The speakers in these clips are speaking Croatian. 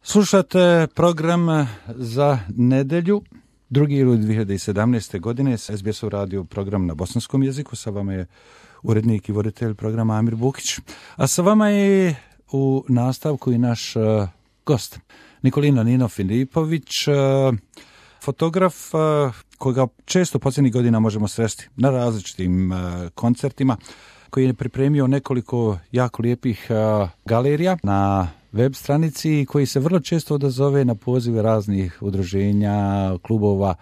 Slušate program za nedelju, 2. juli 2017. godine, s SBS-ov radio program na bosanskom jeziku. Sa vama je urednik i voditelj programa Amir Bukić. A sa vama je u nastavku i naš gost, Nikolina Nino Filipović, fotograf koga često posljednjih godina možemo sresti na različitim koncertima, koji je pripremio nekoliko jako lijepih galerija na web stranici, koji se vrlo često odazove na pozive raznih udruženja, klubova,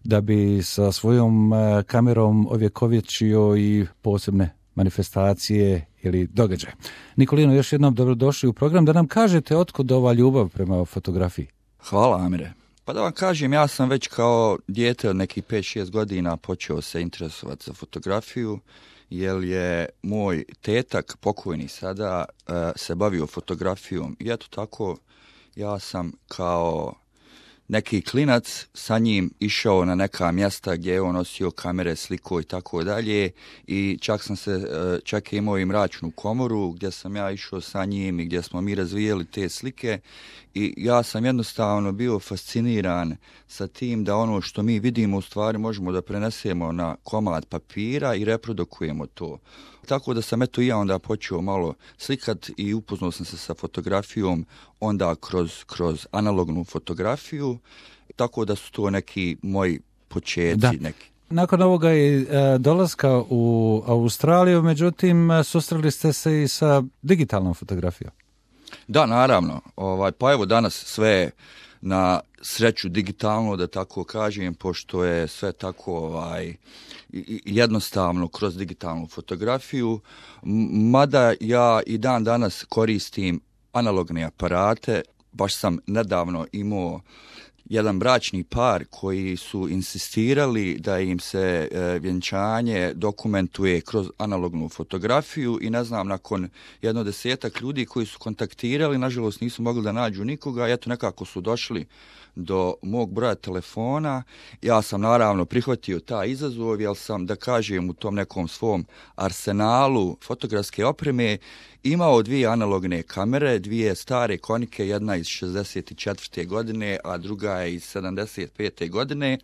da bi sa svojom kamerom ovjekovječio i posebne manifestacije ili događaje. Nikolino, još jednom dobrodošli u program, da nam kažete otkud ova ljubav prema fotografiji. Hvala, Amire. Pa da vam kažem, ja sam već kao dijete od nekih 5-6 godina počeo se interesovati za fotografiju, jer je moj tetak, pokojni sada, se bavio fotografijom. I eto tako, ja sam kao neki klinac sa njim išao na neka mjesta gdje je on nosio kamere, sliko i tako dalje. I čak je imao i mračnu komoru gdje sam ja išao sa njim i gdje smo mi razvijeli te slike. I ja sam jednostavno bio fasciniran sa tim da ono što mi vidimo u stvari možemo da prenesemo na komad papira i reprodukujemo to. Tako da sam i ja onda počeo malo slikat i upoznao sam se sa fotografijom onda kroz analognu fotografiju, tako da su to neki moji početci. Neki. Nakon ovoga i dolaska u Australiju, međutim, susreli ste se i sa digitalnom fotografijom. Da, naravno. Pa evo danas sve na sreću digitalno, da tako kažem, pošto je sve tako jednostavno kroz digitalnu fotografiju, mada ja i dan danas koristim analogne aparate. Baš sam nedavno imao jedan bračni par koji su insistirali da im se vjenčanje dokumentuje kroz analognu fotografiju i ne znam, nakon 10 ljudi koji su kontaktirali, nažalost nisu mogli da nađu nikoga, eto nekako su došli do mog broja telefona. Ja sam naravno prihvatio taj izazov, jer sam, da kažem, u tom nekom svom arsenalu fotografske opreme imao 2 analogne kamere, 2 stare konike, jedna iz 64. godine, a druga je iz 75. godine.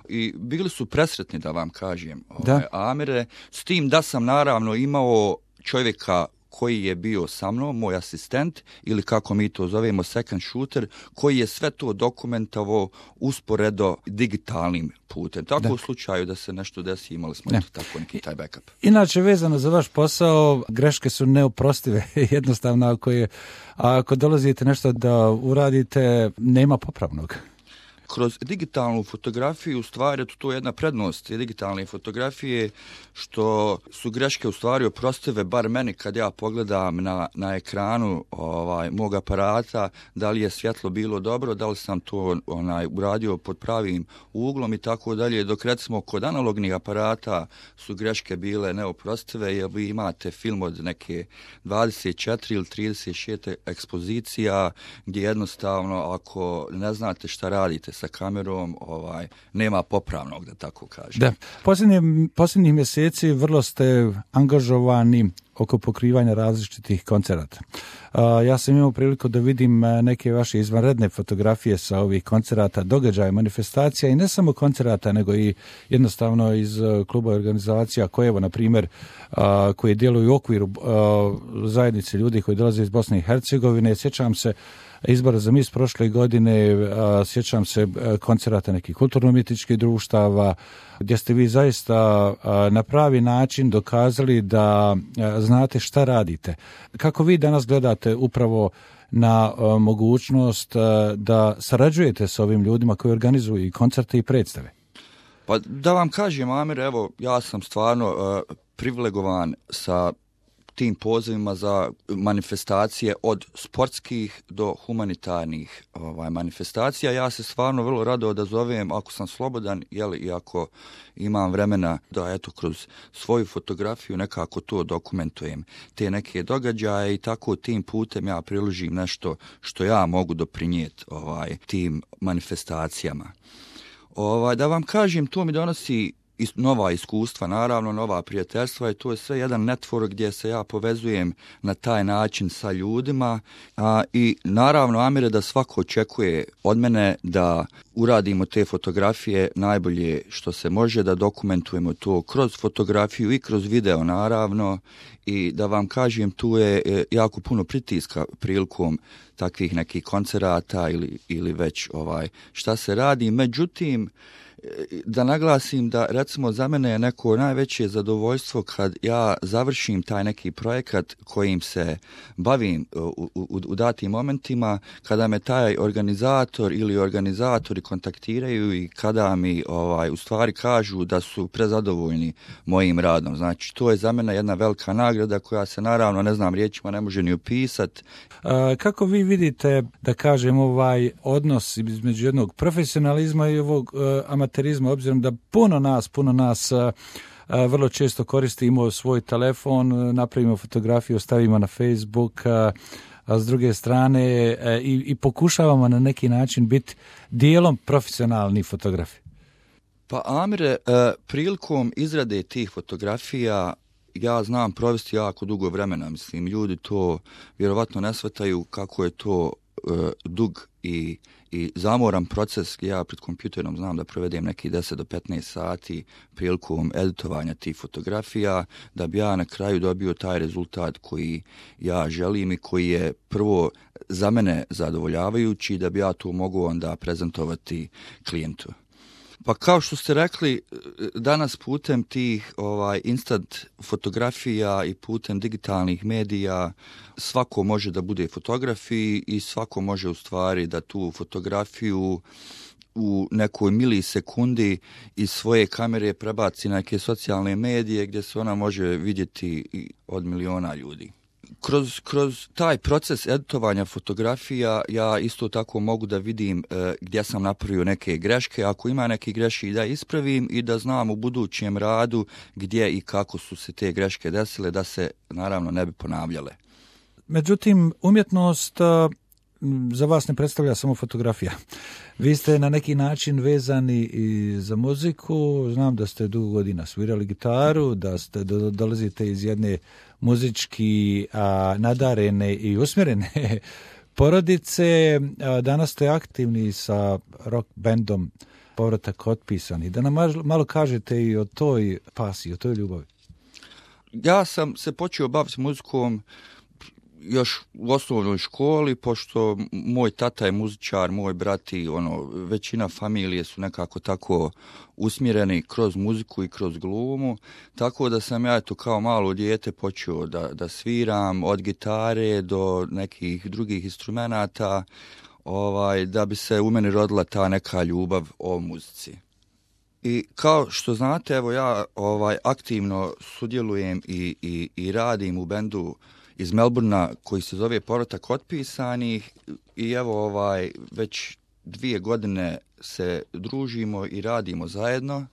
I bili su presretni, da vam kažem, Amire, s tim da sam naravno imao čovjeka koji je bio sa mnom, moj asistent, ili kako mi to zovemo second shooter, koji je sve to dokumentavao usporedo digitalnim putem. Tako u slučaju da se nešto desi, imali smo tako neki taj backup. Inače, vezano za vaš posao, greške su neoprostive. Jednostavno, ako dolazite nešto da uradite, nema popravnog. Kroz digitalnu fotografiju, u stvari, to je jedna prednost digitalne fotografije, što su greške u stvari oprostive, bar meni kad ja pogledam na ekranu mog aparata, da li je svjetlo bilo dobro, da li sam to uradio pod pravim uglom i tako dalje, dok recimo kod analognih aparata su greške bile neoprostive, jer vi imate film od neke 24 ili 36 ekspozicija, gdje jednostavno, ako ne znate šta radite sa kamerom, nema popravnog, da tako kažem. Da. Posljednjih mjeseci vrlo ste angažovani oko pokrivanja različitih koncerata. Ja sam imao priliku da vidim neke vaše izvanredne fotografije sa ovih koncerata, događaja, manifestacija, i ne samo koncerata, nego i jednostavno iz kluba organizacija koje, evo, na primjer, koje djeluju u okviru zajednice ljudi koji dolaze iz Bosne i Hercegovine. Sjećam se izbora za mis prošle godine, sjećam se koncerata nekih kulturno-umjetničkih društava, gdje ste vi zaista na pravi način dokazali da znate šta radite. Kako vi danas gledate upravo na mogućnost da sarađujete s ovim ljudima koji organizuju i koncerte i predstave? Pa da vam kažem, Amir, evo, ja sam stvarno privilegovan sa tim pozivima za manifestacije, od sportskih do humanitarnih manifestacija. Ja se stvarno vrlo rado odazovem ako sam slobodan, i ako imam vremena da kroz svoju fotografiju nekako to dokumentujem, te neke događaje, i tako tim putem ja priložim nešto što ja mogu doprinijeti tim manifestacijama. Da vam kažem, to mi donosi nova iskustva, naravno, nova prijateljstva i to je sve jedan network gdje se ja povezujem na taj način sa ljudima i naravno, Amire, da svako očekuje od mene da uradimo te fotografije najbolje što se može, da dokumentujemo to kroz fotografiju i kroz video, naravno, i da vam kažem, tu je jako puno pritiska prilikom takvih nekih koncerata ili već šta se radi. Međutim, da naglasim da recimo za mene je neko najveće zadovoljstvo kad ja završim taj neki projekat kojim se bavim u datim momentima, kada me taj organizator ili organizatori kontaktiraju i kada mi u stvari kažu da su prezadovoljni mojim radom. Znači, to je za mene jedna velika nagrada koja se naravno, ne znam, riječima ne može ni opisati. Kako vi vidite, da kažem, odnos između jednog profesionalizma i ovog amaterizma, obzirom da puno nas vrlo često koristimo svoj telefon, napravimo fotografiju, stavimo na Facebook, a s druge strane i pokušavamo na neki način biti dijelom profesionalni fotografi? Pa Amire, prilikom izrade tih fotografija ja znam provesti jako dugo vremena. Mislim, ljudi to vjerovatno ne shvataju kako je to dug i zamoran proces. Ja pred kompjuterom znam da provedem neki 10 do 15 sati prilikom editovanja tih fotografija, da bi ja na kraju dobio taj rezultat koji ja želim i koji je prvo za mene zadovoljavajući, da bi ja to mogao onda prezentovati klijentu. Pa kao što ste rekli, danas putem tih instant fotografija i putem digitalnih medija svako može da bude fotograf i svako može u stvari da tu fotografiju u nekoj milisekundi iz svoje kamere prebaci na neke socijalne medije gdje se ona može vidjeti od miliona ljudi. Kroz taj proces editovanja fotografija ja isto tako mogu da vidim gdje sam napravio neke greške, ako ima neke greške da ispravim i da znam u budućem radu gdje i kako su se te greške desile, da se naravno ne bi ponavljale. Međutim, umjetnost za vas ne predstavlja samo fotografija. Vi ste na neki način vezani i za muziku, znam da ste dugo godina svirali gitaru, da ste dolazite iz jedne muzički nadarene i usmjerene porodice, danas ste aktivni sa rock bandom Povratak otpisani. Da nam malo kažete i o toj pasiji, o toj ljubavi. Ja sam se počeo baviti muzikom još u osnovnoj školi, pošto moj tata je muzičar, moj brat i većina familije su nekako tako usmjereni kroz muziku i kroz glumu, tako da sam ja kao malo dijete počeo da sviram od gitare do nekih drugih instrumenata, da bi se u meni rodila ta neka ljubav o muzici. I kao što znate, evo ja aktivno sudjelujem i radim u bendu iz Melbournea koji se zove Povratak otpisanih i evo već 2 godine se družimo i radimo zajedno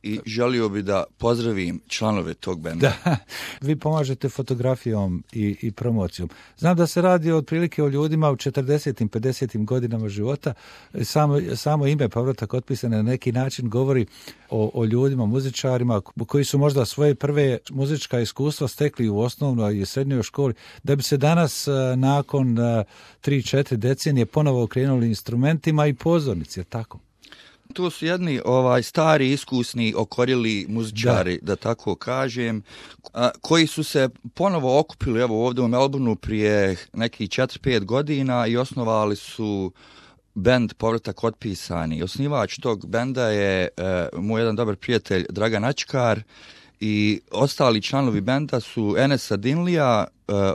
i želio bi da pozdravim članove tog benda. Da, vi pomažete fotografijom i promocijom. Znam da se radi otprilike o ljudima u 40. 50. godinama života. Samo ime Povratak otpisane na neki način govori o ljudima, muzičarima koji su možda svoje prve muzička iskustva stekli u osnovnoj i srednjoj školi, da bi se danas nakon 3-4 decenije ponovo okrenuli instrumentima i pozornici, je tako? To su jedni stari, iskusni, okorjeli muzičari, da tako kažem, koji su se ponovo okupili ovdje u Melbourneu prije nekih 4-5 godina i osnovali su bend Povratak otpisani. Osnivač tog benda je moj jedan dobar prijatelj Dragan Ačkar i ostali članovi benda su Enes Adinlija,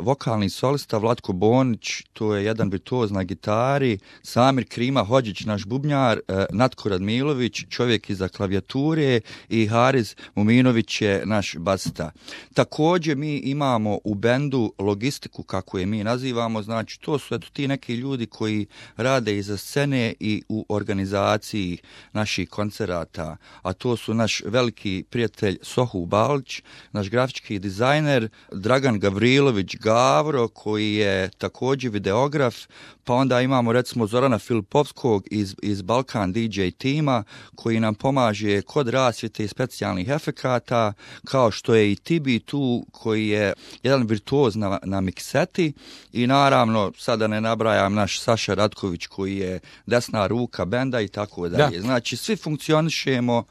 vokalni solista Vlatko Bonić, to je jedan virtuoz na gitari, Samir Krima Hođić, naš bubnjar, Natko Radmilović, čovjek iza klavijature i Hariz Muminović je naš basista. Također mi imamo u bendu logistiku, kako je mi nazivamo, znači to su ti neki ljudi koji rade iza scene i u organizaciji naših koncerata, a to su naš veliki prijatelj Sohu Balić, naš grafički dizajner Dragan Gavrilović, Đorđević Gavro koji je također videograf, pa onda imamo recimo Zorana Filipovskog iz Balkan DJ tima koji nam pomaže kod rasvjete i specijalnih efekata, kao što je i Tibi tu koji je jedan virtuoz na mikseti i naravno sada ne nabrajam naš Saša Ratković koji je desna ruka benda i tako dalje. Znači svi funkcionišemo,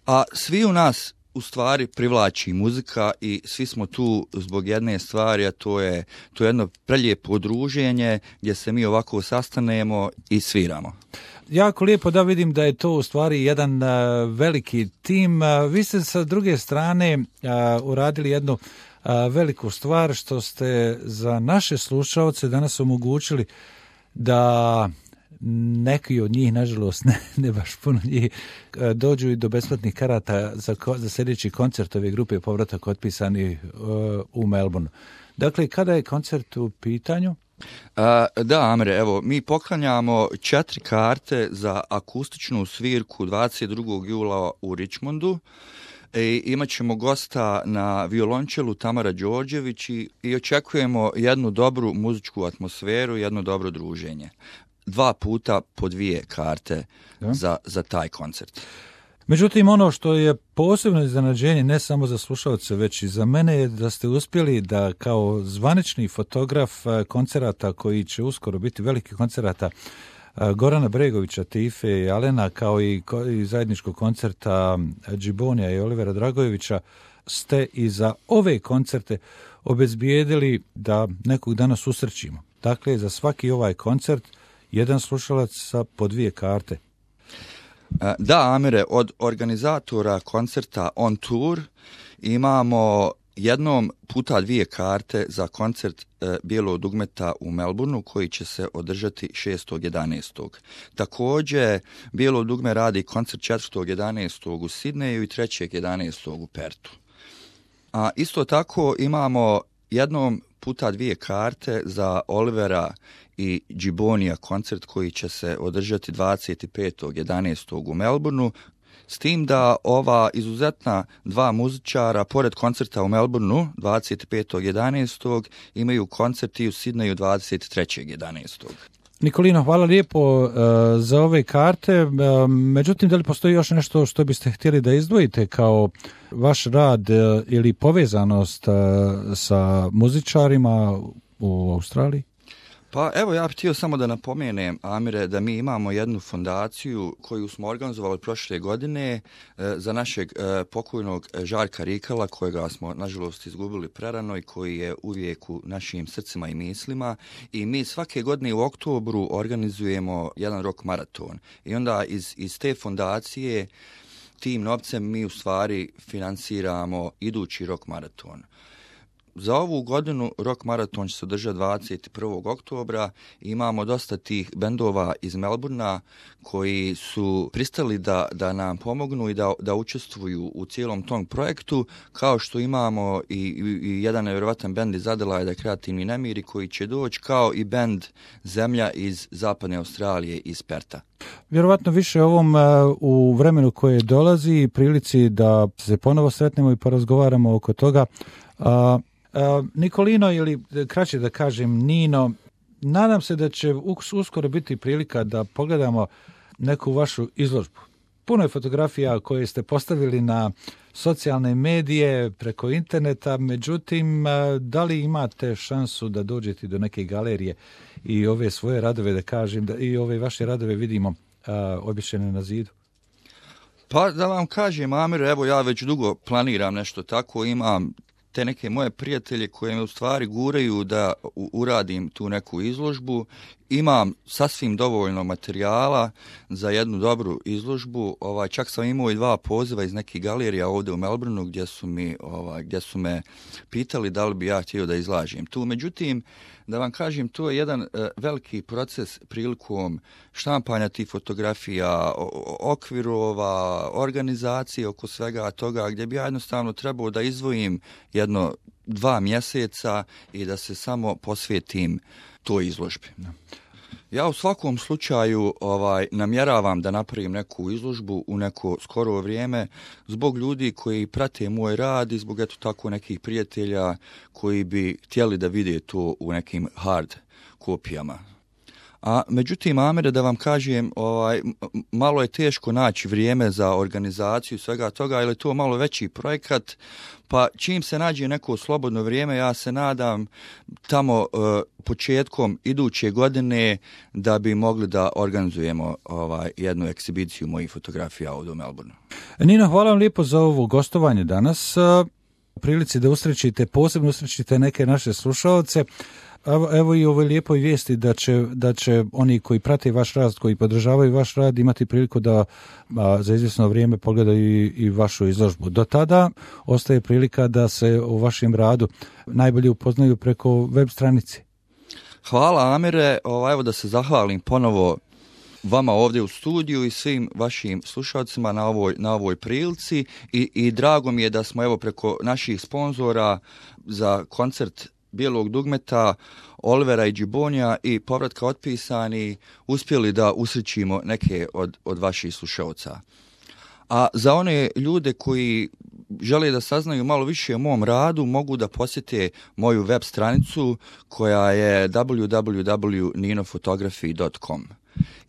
a svi u nas u stvari privlači muzika i svi smo tu zbog jedne stvari, a to je jedno prelijepo druženje gdje se mi ovako sastanemo i sviramo. Jako lijepo da vidim da je to u stvari jedan veliki tim. Vi ste sa druge strane uradili jednu veliku stvar što ste za naše slušaoce danas omogućili da neki od njih, nažalost ne baš puno njih, dođu i do besplatnih karata za sljedeći koncert ove grupe Povratak otpisani u Melbourneu. Dakle, kada je koncert u pitanju? Da, Amre, evo, mi poklanjamo 4 karte za akustičnu svirku 22. jula u Richmondu. Imat ćemo gosta na violončelu Tamara Đorđević i očekujemo jednu dobru muzičku atmosferu, jedno dobro druženje. 2 puta po 2 karte za taj koncert. Međutim, ono što je posebno iznenađenje ne samo za slušalce, već i za mene je da ste uspjeli da kao zvanični fotograf koncerata koji će uskoro biti veliki koncerata Gorana Bregovića, Tife i Alena, kao i zajedničkog koncerta Džibonija i Olivera Dragojevića, ste i za ove koncerte obezbijedili da nekog dana susrećimo. Dakle, za svaki ovaj koncert jedan slušalac sa po 2 karte. Da, Amire, od organizatora koncerta On Tour imamo jednom puta 2 karte za koncert Bijelog dugmeta u Melbourneu koji će se održati 6.11. Također, Bijelo dugme radi koncert 4.11. u Sidneju i 3.11. u Pertu. A isto tako imamo jednom puta 2 karte za Olivera i Džibonija koncert koji će se održati 25.11. u Melbourneu, s tim da ova izuzetna 2 muzičara, pored koncerta u Melbourneu 25.11. imaju koncert i u Sidneju 23.11. Nikolino, hvala lijepo za ove karte. Međutim, da li postoji još nešto što biste htjeli da izdvojite kao vaš rad ili povezanost sa muzičarima u Australiji? Pa evo, ja bih htio samo da napomenem, Amire, da mi imamo jednu fondaciju koju smo organizovali prošle godine za našeg pokojnog Žarka Rikala, kojega smo nažalost izgubili prerano i koji je uvijek u našim srcima i mislima. I mi svake godine u oktobru organizujemo jedan rock maraton. I onda iz te fondacije tim novcem mi u stvari financiramo idući rock maraton. Za ovu godinu rock maraton će se održati 21. oktobra. Imamo dosta tih bendova iz Melbournea koji su pristali da nam pomognu i da učestvuju u cijelom tom projektu, kao što imamo i jedan nevjerovatan bend iz Adelaida, Kreativni nemiri, koji će doći, kao i bend Zemlja iz Zapadne Australije, iz Perta. Vjerovatno više ovom u vremenu koje dolazi, prilici da se ponovo sretnemo i porazgovaramo oko toga. Nikolino, ili kraće da kažem Nino, nadam se da će uskoro biti prilika da pogledamo neku vašu izložbu. Puno je fotografija koje ste postavili na socijalne medije, preko interneta, međutim, da li imate šansu da dođete do neke galerije i ove svoje radove, da kažem, da i ove vaše radove vidimo obješene na zidu? Pa da vam kažem, Amir, evo ja već dugo planiram nešto tako, imam te neke moje prijatelje koje me u stvari guraju da uradim tu neku izložbu. Imam sasvim dovoljno materijala za jednu dobru izložbu. Čak sam imao i 2 poziva iz nekih galerija ovdje u Melbourneu gdje su me pitali da li bi ja htio da izlažem tu. Međutim, da vam kažem, to je jedan veliki proces prilikom štampanja tih fotografija, okvirova, organizacije oko svega toga, gdje bi ja jednostavno trebao da izdvojim 1-2 mjeseca i da se samo posvetim toj izložbi. Ja u svakom slučaju namjeravam da napravim neku izložbu u neko skoro vrijeme zbog ljudi koji prate moj rad i zbog eto tako nekih prijatelja koji bi htjeli da vide to u nekim hard kopijama. A međutim, Amire, da vam kažem, malo je teško naći vrijeme za organizaciju svega toga, jer je to malo veći projekat, pa čim se nađe neko slobodno vrijeme, ja se nadam tamo početkom iduće godine da bi mogli da organizujemo jednu ekshibiciju mojih fotografija ovdje u Melbourneu. Nino, hvala vam lijepo za ovo gostovanje danas. U prilici da posebno usrećite neke naše slušalce. Evo i ovoj lijepoj vijesti da će oni koji prate vaš rad, koji podržavaju vaš rad, imati priliku da za izvjesno vrijeme pogledaju i vašu izložbu. Do tada ostaje prilika da se o vašem radu najbolje upoznaju preko web stranici. Hvala, Amire. Evo da se zahvalim ponovo vama ovdje u studiju i svim vašim slušalcima na ovoj prilici i drago mi je da smo evo preko naših sponzora za koncert Bijelog dugmeta, Olivera i Džibonija i povratka otpisani uspjeli da usrećimo neke od vaših slušalca. A za one ljude koji žele da saznaju malo više o mom radu, mogu da posjete moju web stranicu koja je www.ninofotography.com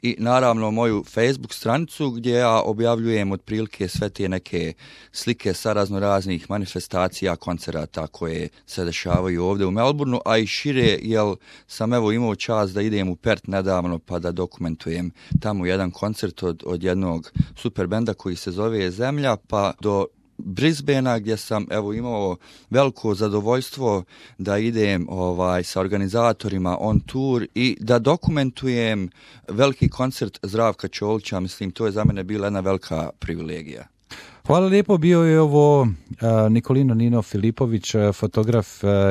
i naravno moju Facebook stranicu gdje ja objavljujem otprilike sve te neke slike sa raznoraznih manifestacija, koncerata koje se dešavaju ovdje u Melbourneu, a i šire, jer sam evo imao čast da idem u Perth nedavno pa da dokumentujem tamo jedan koncert od jednog super benda koji se zove Zemlja, pa do Brisbanea gdje sam evo imao veliko zadovoljstvo da idem sa organizatorima on tour i da dokumentujem veliki koncert Zdravka Čolića. Mislim, to je za mene bila jedna velika privilegija. Hvala lijepo, bio je ovo Nikolino Nino Filipović, fotograf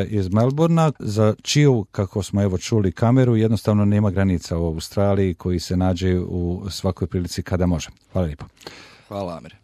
iz Melbournea, za čiju, kako smo evo čuli, kameru jednostavno nema granica u Australiji, koji se nađe u svakoj prilici kada može. Hvala lijepo. Hvala, Amire.